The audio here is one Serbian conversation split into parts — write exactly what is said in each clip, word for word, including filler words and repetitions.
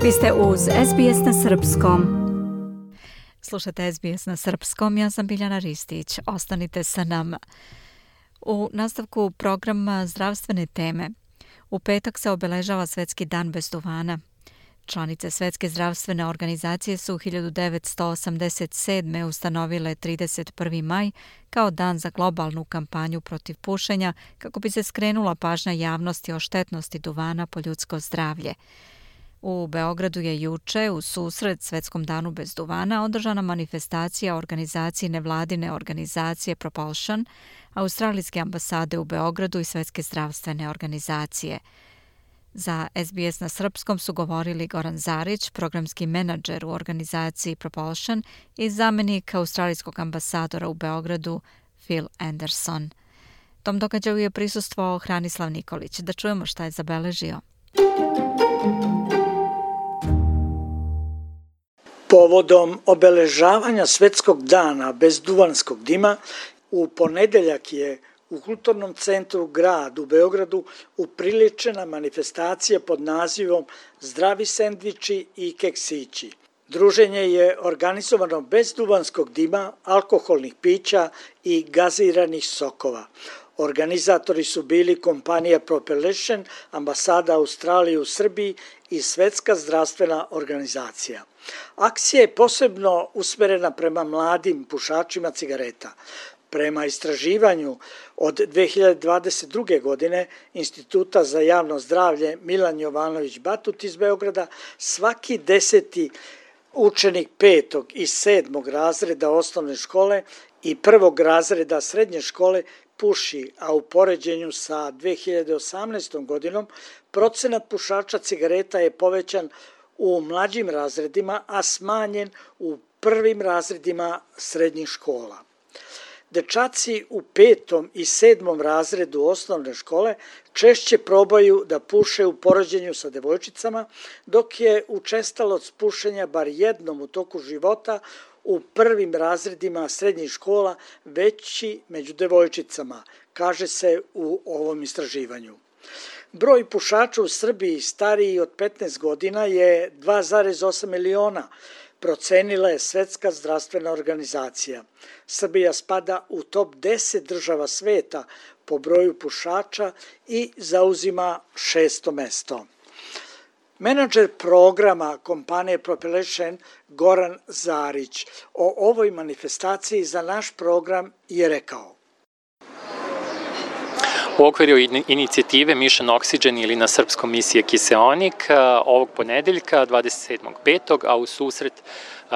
Vi ste uz S B S na srpskom. Slušate S B S na srpskom, ja sam Biljana Ristić. Ostanite sa nama. U nastavku programa zdravstvene teme. U petak se obeležava Svetski dan bez duvana. Članice Svetske zdravstvene organizacije su hiljadu devetsto osamdeset sedme. ustanovile trideset prvi maj kao dan za globalnu kampanju protiv pušenja kako bi se skrenula pažnja javnosti o štetnosti duvana po ljudsko zdravlje. U Beogradu je juče, u susret Svetskom danu bez duvana, održana manifestacija organizaciji nevladine organizacije Propulsion, Australijske ambasade u Beogradu i Svetske zdravstvene organizacije. Za S B S na srpskom su govorili Goran Zarić, programski menadžer u organizaciji Propulsion i zamenik australijskog ambasadora u Beogradu Phil Anderson. Tom događaju je prisustvovao Hranislav Nikolić. Da čujemo šta je zabeležio. Povodom obeležavanja Svetskog dana bez duvanskog dima, u ponedeljak je u Kulturnom centru grad u Beogradu upriličena manifestacija pod nazivom Zdravi sendviči i keksići. Druženje je organizovano bez duvanskog dima, alkoholnih pića i gaziranih sokova. Organizatori su bili kompanija Propulsion, ambasada Australije u Srbiji i Svetska zdravstvena organizacija. Akcija je posebno usmerena prema mladim pušačima cigareta. Prema istraživanju od dve hiljade dvadeset druge. godine Instituta za javno zdravlje Milan Jovanović Batut iz Beograda, svaki deseti učenik petog i sedmog razreda osnovne škole i prvog razreda srednje škole puši, a u poređenju sa dve hiljade osamnaestom. godinom procenat pušača cigareta je povećan u mlađim razredima, a smanjen u prvim razredima srednjih škola. Dečaci u petom i sedmom razredu osnovne škole češće probaju da puše u poređenju sa devojčicama, dok je učestalost pušenja bar jednom u toku života u prvim razredima srednjih škola veći među devojčicama, kaže se u ovom istraživanju. Broj pušača u Srbiji stariji od petnaest godina je dva zarez osam miliona, procenila je Svetska zdravstvena organizacija. Srbija spada u top deset država sveta po broju pušača i zauzima šesto mesto. Menadžer programa kompanije Propulsion Goran Zarić o ovoj manifestaciji za naš program je rekao. U okviru inicijative Mission Oxygen ili na srpskom misije Kiseonik ovog ponedeljka dvadeset sedmog petog a u susret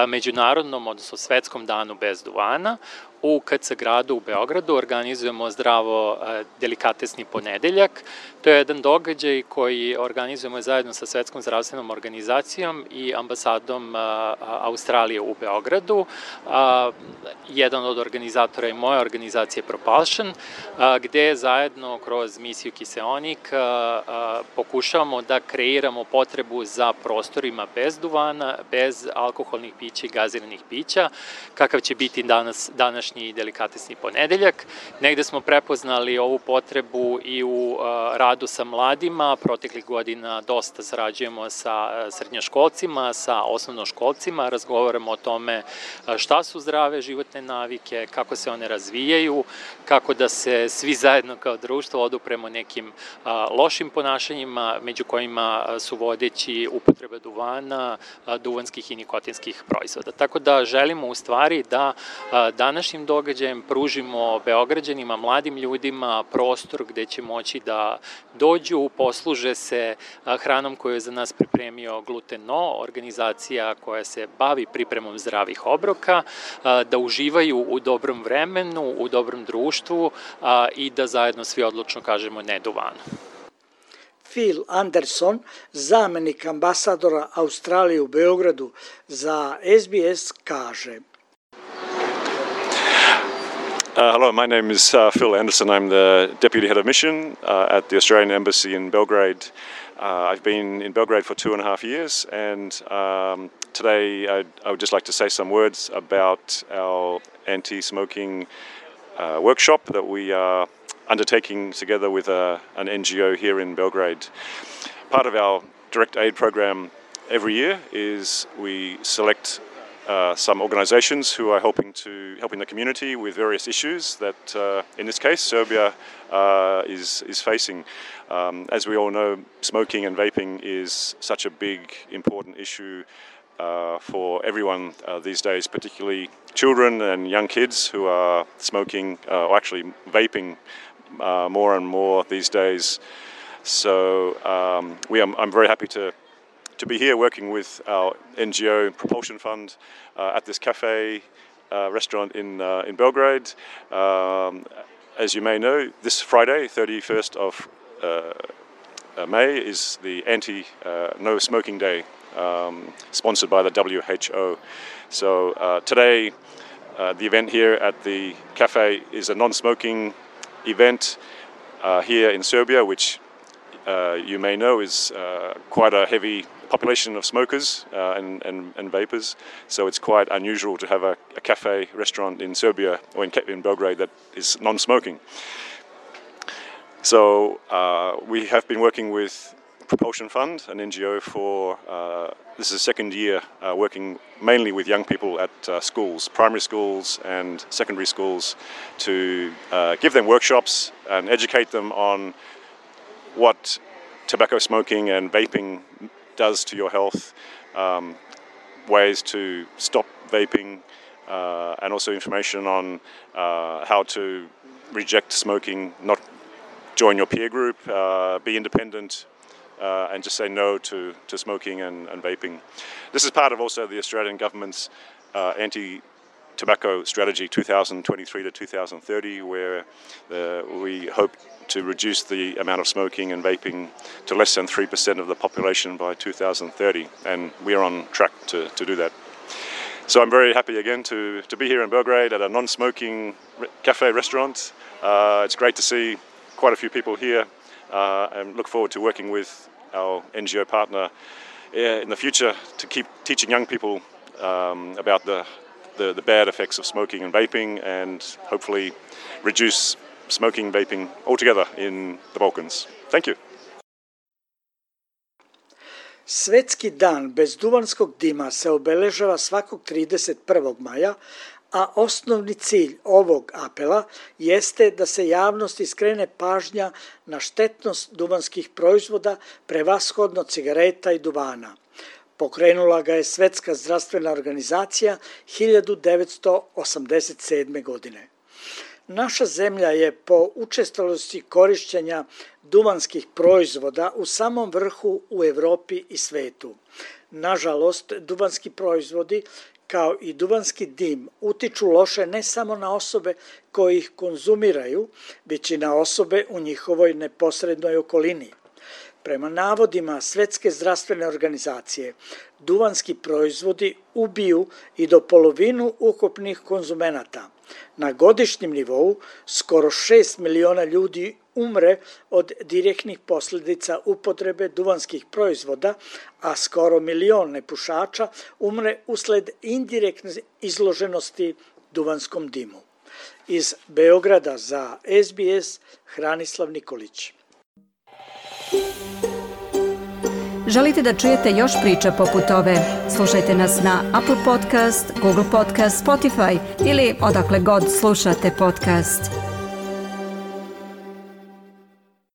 međunarodnom, odnosno Svetskom danu bez duvana, u K C gradu u Beogradu organizujemo zdravo delikatesni ponedeljak. To je jedan događaj koji organizujemo zajedno sa Svetskom zdravstvenom organizacijom i ambasadom Australije u Beogradu. Jedan od organizatora je moja organizacija Propulsion, gde zajedno kroz misiju Kiseonik pokušavamo da kreiramo potrebu za prostorima bez duvana, bez alkoholnih pića i gaziranih pića, kakav će biti danas, današnji i delikatesni ponedeljak. Negde smo prepoznali ovu potrebu i u radu sa mladima. Proteklih godina dosta sarađujemo sa srednjoškolcima, sa osnovnoškolcima, razgovaramo o tome šta su zdrave životne navike, kako se one razvijaju, kako da se svi zajedno kao društvo odupremo nekim lošim ponašanjima, među kojima su vodeći upotreba duvana, duvanskih i nikotinskih proizvoda. Tako da želimo u stvari da današnjim događajem pružimo Beograđanima, mladim ljudima prostor gde će moći da dođu, posluže se hranom koju je za nas pripremio Gluten No, organizacija koja se bavi pripremom zdravih obroka, da uživaju u dobrom vremenu, u dobrom društvu i da zajedno svi odlučno kažemo ne duvanu. Phil Anderson, zamenik ambasadora Australije u Beogradu za S B S, kaže. Uh, hello, my name is uh, Phil Anderson. I'm the Deputy Head of Mission uh, at the Australian Embassy in Belgrade. Uh, I've been in Belgrade for two and a half years, and um, today I'd, I would just like to say some words about our anti-smoking uh, workshop that we are undertaking together with a, an N G O here in Belgrade. Part of our direct aid program every year is we select uh, some organizations who are helping to helping the community with various issues that, uh, in this case, Serbia uh, is is facing. Um, as we all know, smoking and vaping is such a big, important issue uh, for everyone uh, these days, particularly children and young kids who are smoking uh, or actually vaping uh, more and more these days. So um, we are, I'm very happy to to be here working with our N G O Propulsion Fund uh, at this cafe uh, restaurant in uh, in Belgrade. Um, as you may know, this Friday, thirty-first of uh, May, is the anti uh, no smoking day, um, sponsored by the W H O. So uh, today, uh, the event here at the cafe is a non-smoking event uh, here in Serbia, which uh, you may know is uh, quite a heavy population of smokers uh, and, and, and vapors. So it's quite unusual to have a, a cafe restaurant in Serbia or in, in Belgrade that is non-smoking. So uh, we have been working with Propulsion Fund, an N G O, for uh, this is the second year uh, working mainly with young people at uh, schools, primary schools and secondary schools, to uh, give them workshops and educate them on what tobacco smoking and vaping does to your health, um, ways to stop vaping, uh, and also information on uh, how to reject smoking, not join your peer group, uh, be independent, uh, and just say no to, to smoking and, and vaping. This is part of also the Australian government's uh, anti-tobacco strategy two thousand twenty-three to two thousand thirty, where uh, we hope to reduce the amount of smoking and vaping to less than three percent of the population by two thousand thirty, and we are on track to, to do that. So I'm very happy again to, to be here in Belgrade at a non-smoking re- cafe restaurant. Uh, it's great to see quite a few people here, uh, and look forward to working with our N G O partner uh, in the future to keep teaching young people um, about the, the, the bad effects of smoking and vaping, and hopefully reduce smoking, vaping altogether in the Balkans. Thank you. Svetski dan bez duvanskog dima se obeležava svakog trideset prvog maja, a osnovni cilj ovog apela jeste da se javnosti skrene pažnja na štetnost duvanskih proizvoda, prevashodno cigareta i duvana. Pokrenula ga je Svetska zdravstvena organizacija hiljadu devetsto osamdeset sedme. godine. Naša zemlja je po učestalosti korišćenja duvanskih proizvoda u samom vrhu u Evropi i svetu. Nažalost, duvanski proizvodi kao i duvanski dim utiču loše ne samo na osobe koji ih konzumiraju, već i na osobe u njihovoj neposrednoj okolini. Prema navodima Svetske zdravstvene organizacije, duvanski proizvodi ubiju i do polovinu ukupnih konzumenata. Na godišnjem nivou skoro šest miliona ljudi umre od direktnih posljedica upotrebe duvanskih proizvoda, a skoro milion nepušača umre usled indirektne izloženosti duvanskom dimu. Iz Beograda za S B S, Hranislav Nikolić. Želite da čujete još priča poput ove? Slušajte nas na Apple Podcast, Google Podcast, Spotify ili odakle god slušate podcast.